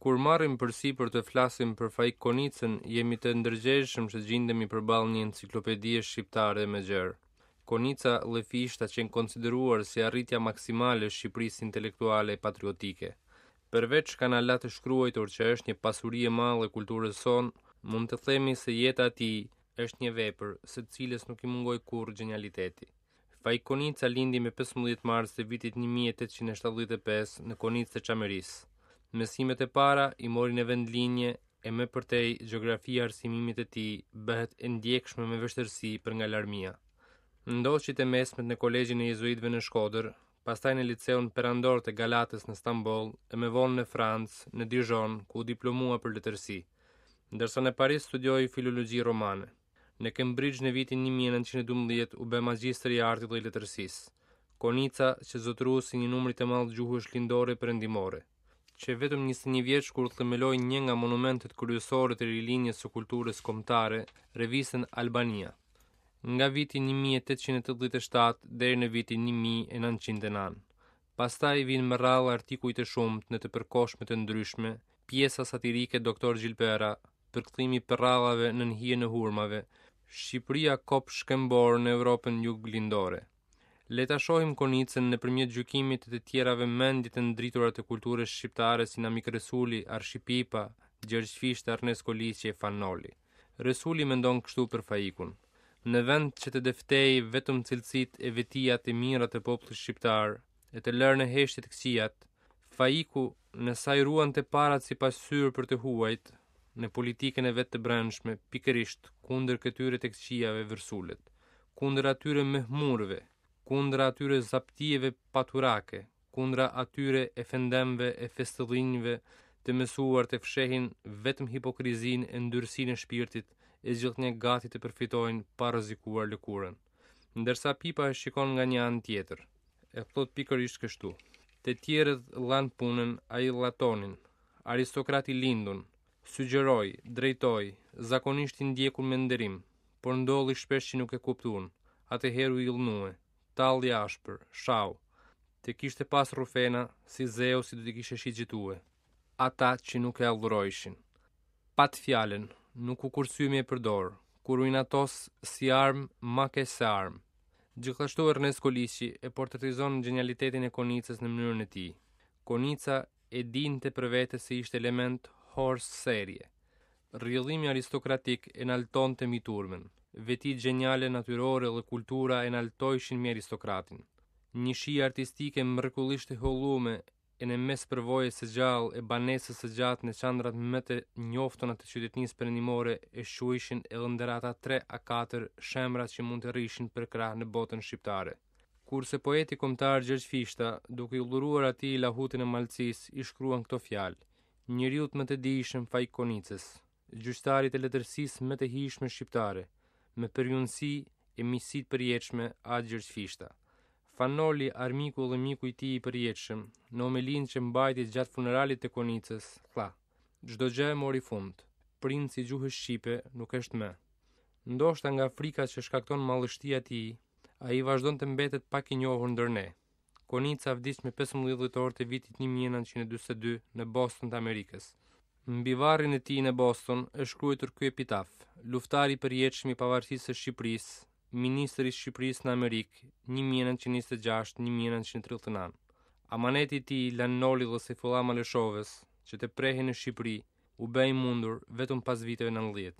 Kur marrim përsipër të flasim për Faik Konicën, jemi të ndërgjegjshëm që gjindemi përballë një enciklopedie shqiptare e më gjerë. Konica dhe Fishta qenë konsideruar si arritja maksimale e Shqipërisë intelektuale e patriotike. Përveç çka na la të shkruajtur që është një pasuri e madhe e kulturës sonë, mund të themi se jeta e tij është një vepër, së cilës nuk i mungoi kurrë gjenialiteti. Faik Konica lindi me 15 mars të vitit 1875 në Konicë të Çamërisë. Mësimet e para i mori në vendlindje e më përtej gjeografia e arsimimit të tij bëhet e ndjekshme me vështirësi për nga larmia. Ndoqi të mesmet në Kolegjin e Jezuitëve në Shkodër, pastaj në Liceun Perandor të Galatës në Stamboll e më vonë në Francë, në Dijon, ku u diplomua për letërsi. Ndërsa në Paris studioi filologji romane. Në Kembrixh në vitin 1912 u bë magjistër i artit dhe i letërsisë. Konica qe zotërues i një numri të madh gjuhësh lindore e perëndimore. Qe vetëm 21 vjeç kur themeloi një nga monumentet kryesore të rilindjes së kulturës kombëtare, revistën Albania. Nga viti 1887 deri në vitin 1909. Pastaj vijnë me radhë artikuj të shumtë në të përkohshme të ndryshme, pjesa satirike Doktor Gjilpëra, përkthimi i përrallave nën hijen e hurmave, Shqipëria kop shkëmbor në Evropën juglindore. Le ta shohim Konicën nëpërmjet gjykimit të të tjerave mendje të ndritura të kulturës shqiptare si Namik Resuli, Arshi Pipa, Gjergj Fishta, Ernest Koliqi e Fan Noli. Resuli mendon kështu për Faikun. Në vend që të dëftejë vetëm cilësitë e vetiat e mira të popullit shqiptar, e të lërë në heshtje të këqijat, Faiku, në sa i ruan të parat si pasqyrë për të huajt, në politikën e vet të brendshme, pikërisht kundër këtyre të këqijave vërsulet, kundër atyre mahmurëve, kundra atyre zaptijeve paturake, kundra atyre efendemve e festëllinjve të mësuar të fshehin vetëm hipokrizinë e ndyrësinë e shpirtit e gjithnjë gati të përfitojnë pa rrezikuar lëkurën. Ndërsa Pipa e shikon nga një anë tjetër. E thotë pikërisht kështu. Të tjerët lanë punën, ai la tonin. Aristokrat i lindun. Sugjeroi, drejtoi, zakonisht i ndjekun me nderim, por ndodhi shpesh që nuk e kuptun. Atëherë u idhnue. Talli ashpër, shau. Të kishte pas rrufena, si Zeusi do t'i kishte shigjetue. Ata që nuk e adhurojshin. Pat fjalën, nuk u kursye me e përdorë, kur u inatos si armë, ma keq se armë. Gjithashtu Ernest Koliqi e portretizon gjenialitetin e Konicës në mënyrën e tij. Konica e dinte për vete se ishte element hors série. Rrjedhimi aristokratik e naltonte mbi turmën. Vetitë gjeniale natyrore dhe kultura e naltojshin mbi aristokratin. Një shije artistike mrekullisht e hollume e në mes përvojës së gjallë e banesës së gjatë në qendrat më të njoftuna të qytetnisë perëndimore e shquajshin edhe ndër ata 3 a 4 shemra që mund të rrishin përkrah në botën shqiptare. Kurse poeti kombëtar Gjergj Fishta, duke i dhuruar atij lahutën e malësisë, i shkruan këto fjalë: Njeriut më të dijshëm Faik Konicës, gjyqtarit të letërsisë më të hijshme shqiptare, me përjunësi e miqësi të përjetshme A. Gjergj Fishta. Fan Noli, armiku dhe miku i tij i përjetshëm, në homelinë që mbajti gjatë funeralit të Konicës, tha: Çdo gjë mori fund. Princi i gjuhës shqipe nuk është më. Ndoshta nga frika që shkakton madhështia e tij, ai vazhdon të mbetet pak i njohur ndër ne. Konica vdiq me 15 dhjetor të vitit 1942 në Boston të Amerikës. Mbi varrin e tij në Boston është shkruajtur ky epitaf: Luftari i përjetshëm i pavarësisë së Shqipërisë, ministër i Shqipërisë në Amerikë, 1926-1939. Amaneti i tij, Lan Nolit dhe Sejfullah Malëshovës, që të prehej në Shqipëri, u bë i mundur vetëm pas viteve 90.